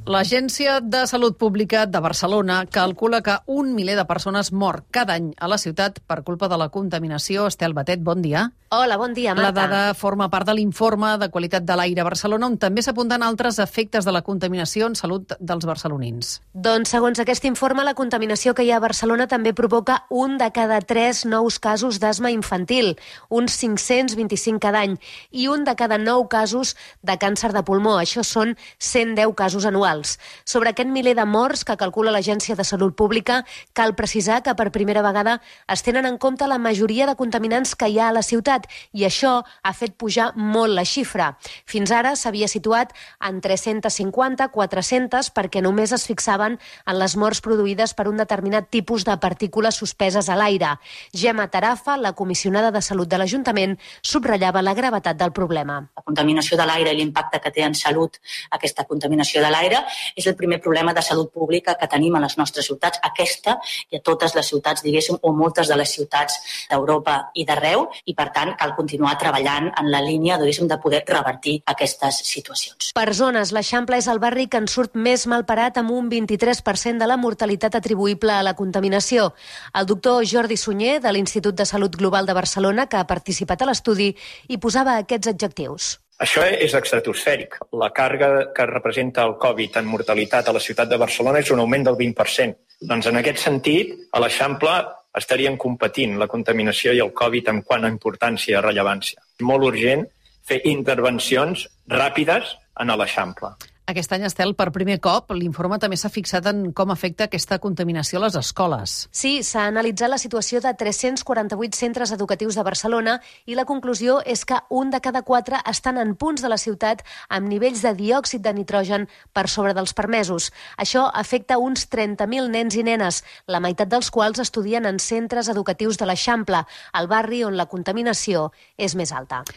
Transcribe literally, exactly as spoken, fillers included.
L'Agència de Salut Pública de Barcelona calcula que un miler de persones mor cada any a la ciutat per culpa de la contaminació. Estel Batet, bon dia. Hola, bon dia, Marta. La dada forma part de l'informe de qualitat de l'aire a Barcelona, on també s'apunten altres efectes de la contaminació en salut dels barcelonins. Doncs, segons aquest informe, la contaminació que hi ha a Barcelona també provoca un de cada tres nous casos d'asma infantil, uns cinc-cents vint-i-cinc cada any, i un de cada nou casos de càncer de pulmó. Això són cent deu casos anuals. Sobre aquest miler de morts que calcula l'Agència de Salut Pública, cal precisar que per primera vegada es tenen en compte la majoria de contaminants que hi ha a la ciutat, i això ha fet pujar molt la xifra. Fins ara s'havia situat en tres-centes cinquanta a quatre-centes perquè només es fixaven en les morts produïdes per un determinat tipus de partícules suspeses a l'aire. Gemma Tarafa, la comissionada de Salut de l'Ajuntament, subratllava la gravetat del problema. La contaminació de l'aire i l'impacte que té en salut aquesta contaminació de l'aire és el primer problema de salut pública que tenim a les nostres ciutats, aquesta i a totes les ciutats, diguéssim, o moltes de les ciutats d'Europa i d'arreu, i per tant cal continuar treballant en la línia, diguéssim, de poder revertir aquestes situacions. Per zones, l'Eixample és el barri que en surt més malparat, amb un vint-i-tres per cent de la mortalitat atribuïble a la contaminació. El doctor Jordi Sunyer, de l'Institut de Salut Global de Barcelona, que ha participat a l'estudi, hi posava aquests adjectius. Això és estratosfèric. La càrrega que representa el Covid en mortalitat a la ciutat de Barcelona és un augment del vint per cent. Doncs en aquest sentit, a l'Eixample estarien competint la contaminació i el Covid en quant a importància i rellevància. Molt urgent fer intervencions ràpides en l'Eixample. Aquest any, Estel, per primer cop, l'informe també s'ha fixat en com afecta aquesta contaminació a les escoles. Sí, s'ha analitzat la situació de tres-cents quaranta-vuit centres educatius de Barcelona i la conclusió és que un de cada quatre estan en punts de la ciutat amb nivells de diòxid de nitrogen per sobre dels permesos. Això afecta uns trenta mil nens i nenes, la meitat dels quals estudien en centres educatius de l'Eixample, el barri on la contaminació és més alta.